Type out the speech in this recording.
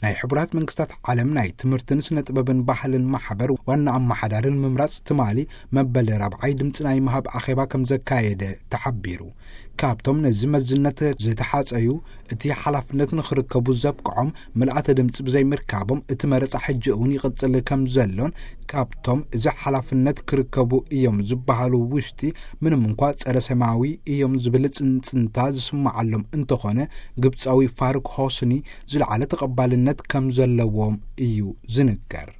ናይ ሕቡራት መንግስታት ዓለም ናይ ትምህርትን ስነ ጥበብን ባህልን ማሕበር ዋና ኣመሓዳርን ምምራጽ ትማሊ መበል ራብዓይ ድምፂ ናይ ምሃብ ኣኼባ ከም ዘካየደ ተሓቢሩ። ካብቶም ነዚ መዝነት ዝተሓጸዩ እቲ ሓላፍነት ንኽርከቡ ዘብቅዖም ምልኣተ ድምፂ ብዘይምርካቦም እቲ መረፃ ሕጂ እውን ይቕፅል ከም ዘሎን ካብቶም እዚ ሓላፍነት ክርከቡ እዮም ዝበሃሉ ውሽጢ ምንም እንኳ ጸረ ሰማያዊ እዮም ዝብል ጽንጽንታ ዝስምዓሎም እንተኾነ ግብጻዊ ፋሩክ ሆስኒ ዝለዓለ ተቐባልነት ከም ዘለዎም እዩ ዝንገር።